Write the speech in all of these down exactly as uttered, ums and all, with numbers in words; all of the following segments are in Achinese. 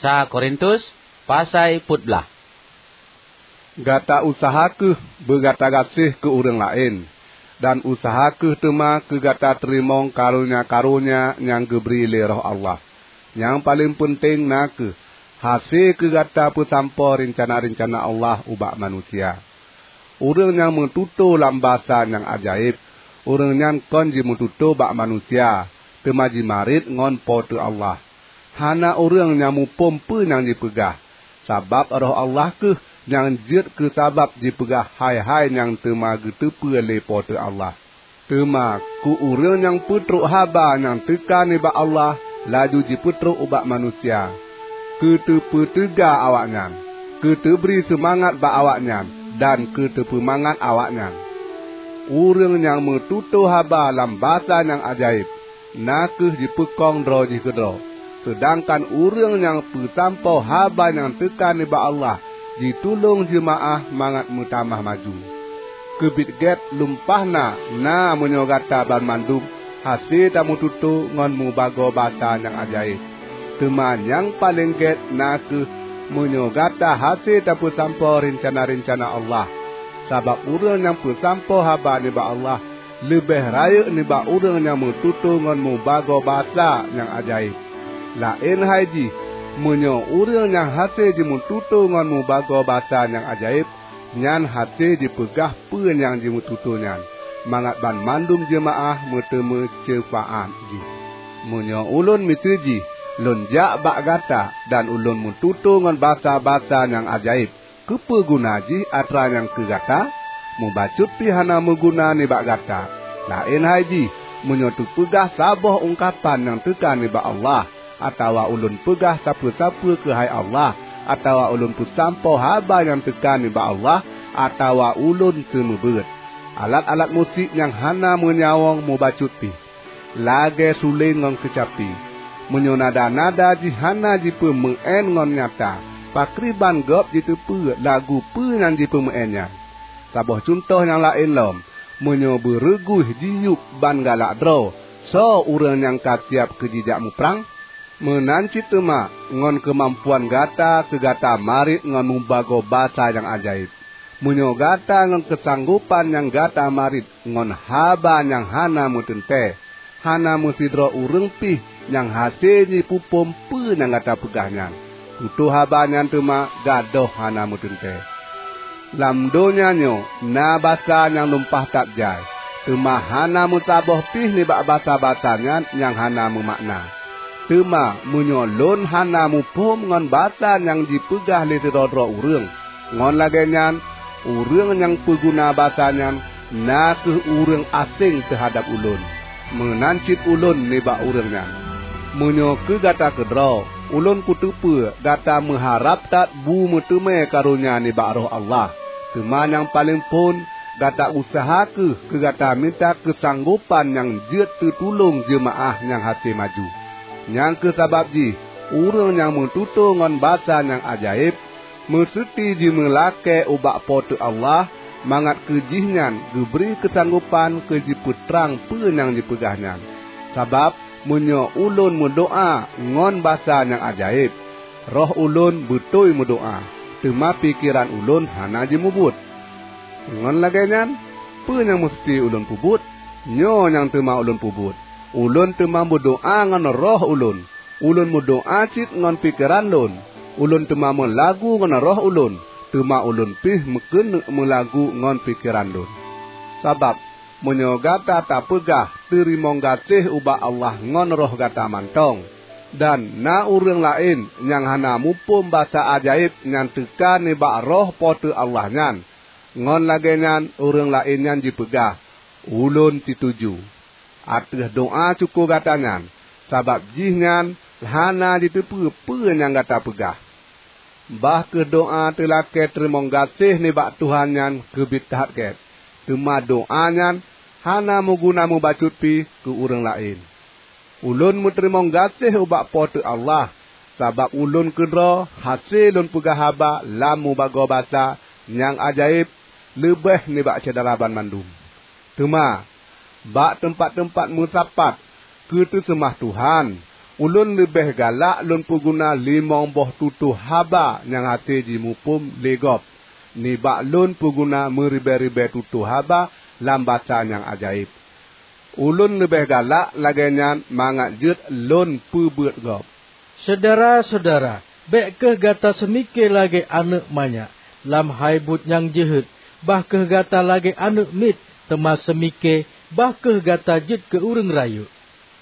Sa Korintus, pasai peuet blaih. Gata useuha kheueh beugata gaséh keu ureuëng laén, dan useuha kheueh teuma keu gata teurimong karonya-karonya nyang geubri lé Roh Allah. Nyang paleng peunteng na kheueh hase keu gata peusampoe reuncana-reuncana Allah ubak manusia. Ureuëng nyang meututoe lam basa nyang ajaéb, ureuëng nyan kon jimeututoe bak manusia, teuma jimarit ngon Po teu Allah. Hana ureuëng nyang muphom peue nyang jipeugah, sabab Roh Allah kheueh nyang jeuet keu sabab jipeugah hai-hai nyang teuma geuteupeue lé Po teu Allah. Teuma keu ureuëng nyang peutrok haba nyang teuka nibak Allah laju jipeutrok ubak manusia, keu teupeuteuga awaknyan, keu teubri seumangat bak awaknyan, dan keu teupeumangat awaknyan. Ureuëng nyang meututoe haba lam basa nyang ajaéb, na kheueh jipeukong droe jih keudroe, seudangkan ureuëng nyang peusampoe haba nyang teuka nibak Allah jitulông jeumaáh mangat meutamah maju. Keubiet gét lumpah na, na meunyoe gata banmandum hase tameututoe ngon mubagoe basa nyang ajaéb. Teuma nyang paleng gét na kheueh meunyoe gata hase tapeusampoe reuncana-reuncana Allah. Sabab ureuëng nyang peusampoe haba nibak Allah leubeh rayeuk nibak ureuëng nyang meututoe ngon mubagoe basa nyang ajaéb. Laén hai jih, meunyoe ureuëng nyang hase jimeututoe ngon mubagoe basa nyang ajaéb, nyan hase jipeugah peue nyang jimeututoe nyan, mangat banmandum jeumaáh meuteumé syeufaát jih. Meunyoe ulôn miseue jih lôn jak bak gata dan ulôn meututoe ngon basa-basa nyang ajaéb, keupeue guna jih atra nyan keu gata? Mubacut pih hana meuguna nibak gata. Laén hai jih, meunyoe teupeugah saboh ungkapan nyang teuka nibak Allah, atawa ulôn peugah sapeue-sapeue keuhai Allah, atawa ulôn peusampoe haba nyang teuka nibak Allah, atawa ulôn seumeubeuet. Alat-alat musik nyang hana meunyawöng mubacut pih, lagée suleng ngon keucapi. Meunyoe nada-nada jih hana jipeumeuén ngon nyata, pakriban gob jiteupeue lagu peue nyang jipeumeuén nyan? Saboh cuntoh nyang laén lom, meunyoe beureuguih jiyueb ban galak droe, soe ureuëng nyang ka siab keu jijak muprang? Meunan cit teuma ngon keumampuan gata keu gata marit ngon mubagoe basa nyang ajaéb. Meunyoe gata ngon keusanggopan nyang gata marit ngon haba nyang hana meuteuntée, hana meusidroe ureuëng pih nyang hase jipeuphom peue nyang gata peugah nyan, tutoe haba nyan teuma gadôh hana meuteuntée. Lam donya nyoe na basa nyang lumpah that jai, teuma hana meusaboh pih nibak basa-basa nyan nyang hana meumakna. Teuma meunyoe lôn hana muphom ngon basa nyang jipeugah lé sidroe-droe ureuëng, ngon lagée nyan ureuëng nyang peuguna basa nyan na kheueh ureuëng aséng teuhadab ulôn. Meunan cit ulôn nibak ureuëng nyan. Meunyoe keu gata keudroe, ulôn kuteupeue gata meuharab that bu meuteumé karonya nibak Roh Allah. Teuma nyang paleng phon, gata useuha kheueh keu gata mita keusanggopan nyang jeuet teutulông jeumaáh nyang hase maju. Nyang kheueh sabab jih ureuëng nyang meututoe ngon basa nyang ajaéb meuseuti jimeulakée ubak Po teu Allah, mangat keu jihnyan geubri keusanggopan keu jipeutrang peue nyang jipeugah nyan. Sabab meunyoe ulôn meudoá ngon basa nyang ajaéb, roh ulôn beutôi meudoá, teuma pikeran ulôn hana jimubuet. Ngon lagée nyan, peue nyang meuseuti ulôn peubuet? Nyoe nyang teuma ulôn peubuet: Ulôn teuma meudoá ngon roh ulôn. Ulôn meudoá cit ngon pikeran lôn. Ulôn teuma meulagu ngon roh ulôn, teuma ulôn pih meukeuneuk meulagu ngon pikeran lôn. Sabab meunyoe gata tapeugah teurimong gaséh ubak Allah ngon roh gata mantong, dan na ureuëng laén nyang hana muphom basa ajaéb nyang teuka nibak Roh Po teu Allah nyan, ngon lagée nyan ureuëng laén nyan jipeugah, "Ulôn situju," ateueh doá syukoe gata nyan, sabab jihnyan hana jiteupeue peue nyang gata peugah. Bah kheueh doá teulakée teurimong gaséh nibak Tuhan nyan keubiet that gét, teuma doá nyan hana meuguna mubacut pih keu ureuëng laén. Ulôn meuteurimong gaséh ubak Po teu Allah, sabab ulôn keudroe hase lôn peugah haba lam mubagoe basa nyang ajaéb leubeh nibak syedara banmandum. Teuma, bak teumpat-teumpat meusapat keu teuseumah Tuhan, Ulôn leubeh galak lôn peuguna limong boh tutoe haba nyang hase jimuphom lé gob, nibak lôn peuguna meuribée-ribée tutoe haba lam basa nyang ajaéb. Ulôn leubeh galak lagée nyan mangat jeuet lôn peubeuet gob. Syedara-syedara, bék kheueh gata seumike lagée aneuëk manyak lam hai buet nyang jeuhet, bah kheueh gata lagée aneuëk miet, teuma seumike, bah kheueh gata jeuet keu ureuëng rayeuk.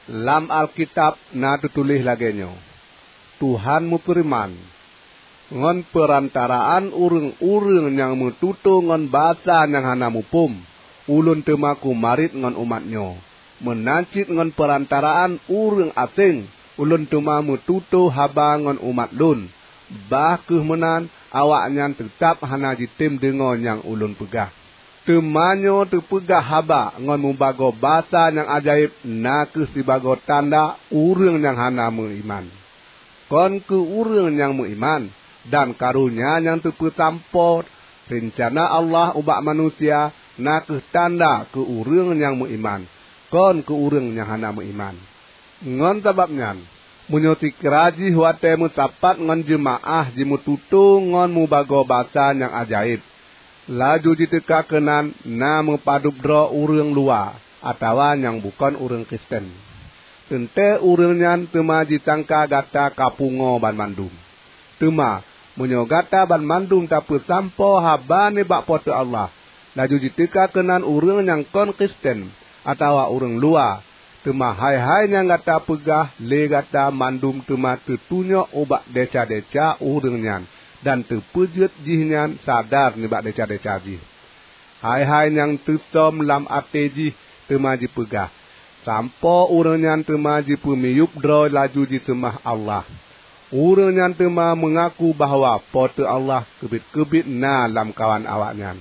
Lam Alkitab na teutuléh lagée nyoe, "Tuhan meufeureuman, 'Ngon peurantaraan ureuëng-ureuëng nyang meututoe ngon basa nyang hana muphom, Ulôn teuma kumarit ngon umat nyoe. Meunan cit ngon peurantaraan ureuëng aséng, Ulôn teuma meututoe haba ngon umat Lôn. Bah kheueh meunan, awaknyan teutab hana jitem deungoe nyang Ulôn peugah.' Teuma nyoe teupeugah haba ngon mubagoe basa nyang ajaéb na kheueh sibagoe tanda ureuëng nyang hana meuiman. Kon keu ureuëng nyang meuiman, dan karonya nyang teupeusampoe reuncana Allah ubak manusia na kheueh tanda keu ureuëng nyang meuiman, kon keu ureuëng nyang hana meuiman. Ngon sabab nyan, meunyoe sikira jih watée meusapat ngon jeumaáh jimeututoe ngon mubagoe basa nyang ajaéb, laju jiteuka keunan na meupadub droe ureuëng luwa atawa nyang bukon ureuëng Kristen, teuntée ureuëng nyan teuma jisangka gata ka pungoe banmandum. Teuma, meunyoe gata banmandum tapeusampoe haba nibak Po teu Allah, laju jiteuka keunan ureuëng nyang kon Kristen atawa ureuëng luwa, teuma hai-hai nyang gata peugah lé gata mandum teuma teutunyok ubak desya-desya ureuëng nyan, dan teupeujeuet jihnyan sadar nibak desya-desya jih. Hai-hai nyang teusöm lam até jih teuma jipeugah, sampoe ureuëng nyan teuma jipeumiyueb droe laju jiseumah Allah. Ureuëng nyan teuma meungaku bahwa Po teu Allah keubiet-keubiet na lamkawan awaknyan."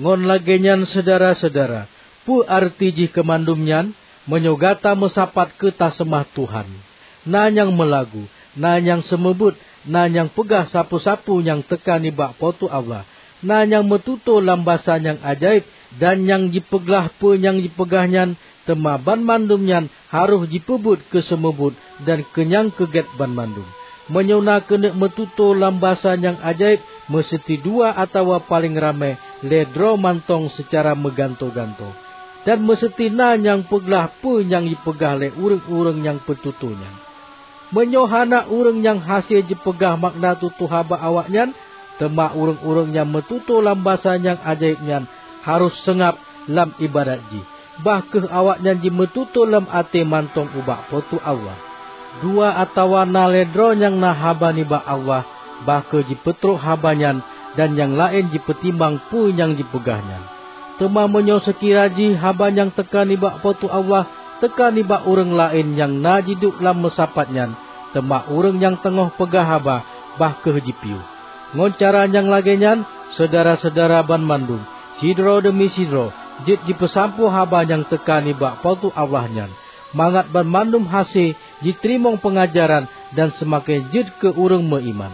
Ngon lagée nyan, syedara-syedara, peue areuti jih keu mandum nyan? Meunyoe gata meusapat keu taseumah Tuhan, na nyang meulagu, na nyang seumeubeuet, na nyang peugah sapeue-sapeue nyang teuka nibak Po teu Allah, na nyang meututoe lam basa nyang ajaéb, dan nyang jipeuglah peue nyang jipeugah nyan, teuma banmandum nyan harôh jipeubuet keu seumeubeuet dan keu nyang keu gét banmandum. Meunyoe na keuneuk meututoe lam basa nyang ajaéb, meuseuti dua atawa paleng ramé lhée droe mantong seucara meugantoe-gantoe, dan meuseuti na nyang peuglah peue nyang jipeugah lé ureuëng-ureuëng nyang peututoe nyan. Meunyoe hana ureuëng nyang hase jipeugah makna tutoe haba awaknyan, teuma ureuëng-ureuëng nyang meututoe lam basa nyang ajaéb nyan harôh seungab lam iébadat jih, bah kheueh awaknyan jimeututoe lam até mantong ubak Po teu Allah. Dua atawa na lhée droe nyang na haba nibak Allah, bah kheueh jipeutrok haba nyan, dan nyang laén jipeutimang peue nyang jipeugah nyan. Teuma meunyoe seukira jih haba nyang teuka nibak Po teu Allah teuka nibak ureuëng laén nyang na jiduek lam meusapat nyan, teuma ureuëng nyang teungoh peugah haba, bah kheueh jipiôh. Ngon cara nyang lagée nyan, syedara-syedara banmandum, sidroe deumi sidroe, jeuet jipeusampoe haba nyang teuka nibak Po teu Allah nyan, mangat banmandum hase jiteurimong peungajaran dan seumaken jeuet keu ureuëng meuiman.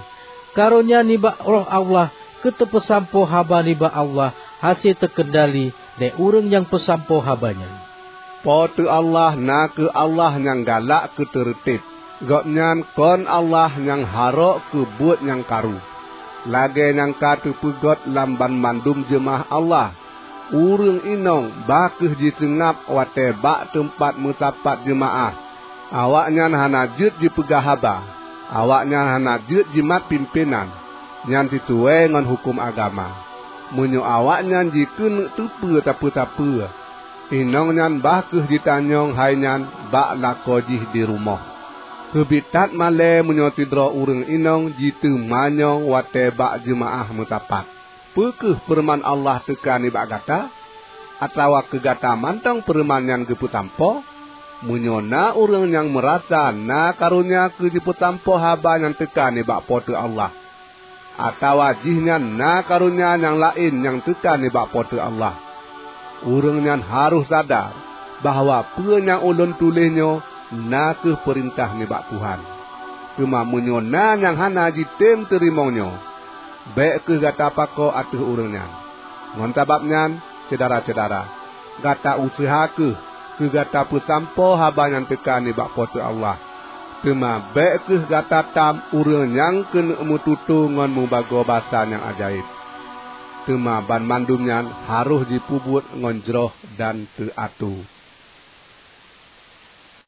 Karonya nibak Roh Allah keu teupeusampoe haba nibak Allah hase teukeundali lé ureuëng nyang peusampoe haba nyan. Po teu Allah na kheueh Allah nyang galak keu teureutéb. Gobnyan kon Allah nyang harok keu buet nyang karu. Lagée nyang ka teupeugét lam banmandum jeumaáh Allah, ureuëng inong bah kheueh jiseungab watée bak teumpat meusapat jeumaáh. Awaknyan hana jeuet jipeugah haba, awaknyan hana jeuet jimat pimpénan, nyan sisuai ngon huköm agama. Meunyoe awaknyan jikeuneuk teupeue sapeue-sapeue, inong nyan bah kheueh jitanyong hai nyan bak lakoe jih di rumoh. Keubiet that malée meunyoe sidroe ureuëng inong jiteumanyong watée bak jeumaáh meusapat, "Peu kheueh feureuman Allah teuka nibak gata?" Atawa keu gata mantong feureuman nyan geupeusampoe? Meunyoe na ureuëng nyang meurasa na karonya keu jipeusampoe haba nyang teuka nibak Po teu Allah, atawa jihnyan na karonya nyang laén nyang teuka nibak Po teu Allah, ureuëng nyan harôh sadar bahwa peue nyang ulôn tuléh nyoe na kheueh peurintah nibak Tuhan. Teuma meunyoe na nyang hana jitem teurimong nyoe, bék kheueh gata pakoe ateueh ureuëng nyan. Ngon sabab nyan, syedara-syedara, gata useuha kheueh keu gata peusampoe haba nyang teuka nibak Po teu Allah. Teuma bék kheueh gata tam ureuëng nyang keuneuk meututoe ngon mubagoe basa nyang ajaéb. Teuma banmandum nyan harôh jipeubuet ngon jroh dan teuatoe.